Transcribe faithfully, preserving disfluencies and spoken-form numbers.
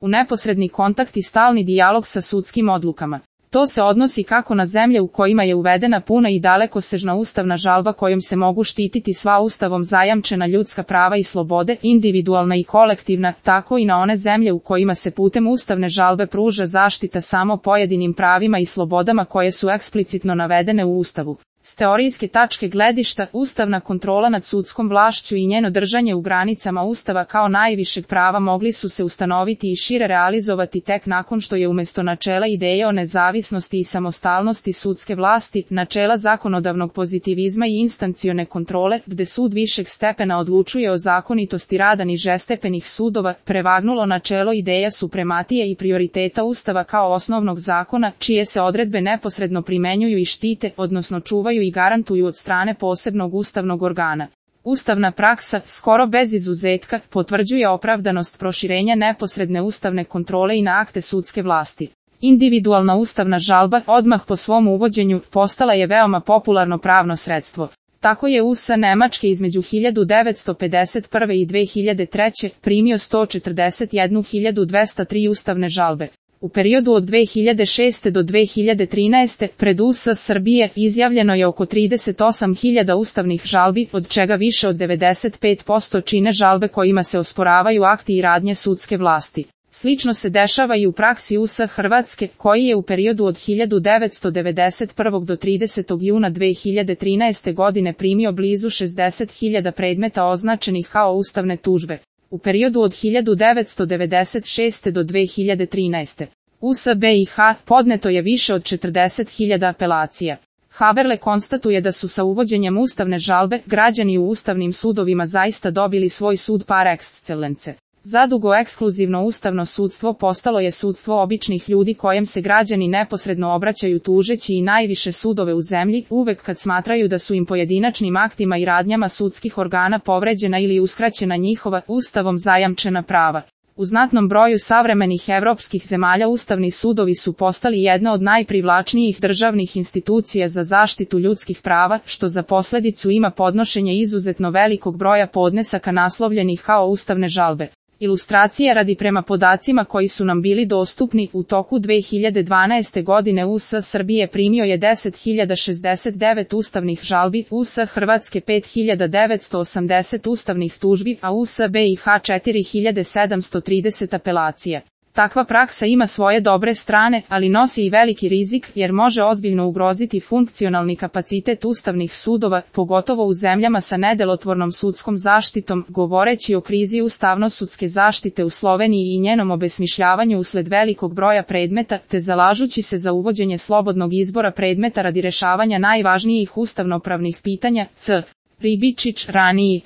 u neposredni kontakt i stalni dijalog sa sudskim odlukama. To se odnosi kako na zemlje u kojima je uvedena puna i dalekosežna ustavna žalba kojom se mogu štititi sva ustavom zajamčena ljudska prava i slobode, individualna i kolektivna, tako i na one zemlje u kojima se putem ustavne žalbe pruža zaštita samo pojedinim pravima i slobodama koje su eksplicitno navedene u Ustavu. S teorijske tačke gledišta, ustavna kontrola nad sudskom vlašću i njeno držanje u granicama Ustava kao najvišeg prava mogli su se ustanoviti i šire realizovati tek nakon što je umjesto načela ideje o nezavisnosti i samostalnosti sudske vlasti, načela zakonodavnog pozitivizma i instancione kontrole, gde sud višeg stepena odlučuje o zakonitosti rada nižestepenih sudova, prevagnulo načelo ideja suprematije i prioriteta Ustava kao osnovnog zakona, čije se odredbe neposredno primenjuju i štite, odnosno čuvaju i garantuju od strane posebnog ustavnog organa. Ustavna praksa, skoro bez izuzetka, potvrđuje opravdanost proširenja neposredne ustavne kontrole i na akte sudske vlasti. Individualna ustavna žalba, odmah po svom uvođenju, postala je veoma popularno pravno sredstvo. Tako je U S A Nemačke između hiljadu devetsto pedeset prve i dve hiljade treće primio sto četrdeset jednu hiljadu dvesta tri ustavne žalbe. U periodu od dve hiljade šeste do dve hiljade trinaeste pred U S A Srbije izjavljeno je oko trideset osam hiljada ustavnih žalbi, od čega više od devedeset pet posto čine žalbe kojima se osporavaju akti i radnje sudske vlasti. Slično se dešava i u praksi U S A Hrvatske, koji je u periodu od hiljadu devetsto devedeset prve do tridesetog juna dve hiljade trinaeste godine primio blizu šezdeset hiljada predmeta označenih kao ustavne tužbe. U periodu od hiljadu devetsto devedeset šeste do dve hiljade trinaeste. U S B I H podneto je više od četrdeset hiljada apelacija. Haberle konstatuje da su sa uvođenjem ustavne žalbe građani u ustavnim sudovima zaista dobili svoj sud par excellence. Zadugo ekskluzivno ustavno sudstvo postalo je sudstvo običnih ljudi kojem se građani neposredno obraćaju tužeći i najviše sudove u zemlji, uvek kad smatraju da su im pojedinačnim aktima i radnjama sudskih organa povređena ili uskraćena njihova, ustavom zajamčena prava. U znatnom broju savremenih evropskih zemalja ustavni sudovi su postali jedna od najprivlačnijih državnih institucija za zaštitu ljudskih prava, što za posledicu ima podnošenje izuzetno velikog broja podnesaka naslovljenih kao ustavne žalbe. Ilustracije radi prema podacima koji su nam bili dostupni, u toku dve hiljade dvanaeste godine U S A Srbije primio je deset hiljada šezdeset devet ustavnih žalbi, U S A Hrvatske pet hiljada devetsto osamdeset ustavnih tužbi, a U S B I H četiri hiljade sedamsto trideset apelacija. Takva praksa ima svoje dobre strane, ali nosi i veliki rizik, jer može ozbiljno ugroziti funkcionalni kapacitet ustavnih sudova, pogotovo u zemljama sa nedelotvornom sudskom zaštitom, govoreći o krizi ustavno-sudske zaštite u Sloveniji i njenom obesmišljavanju usled velikog broja predmeta, te zalažući se za uvođenje slobodnog izbora predmeta radi rešavanja najvažnijih ustavnopravnih pitanja, C. Ribičić, raniji.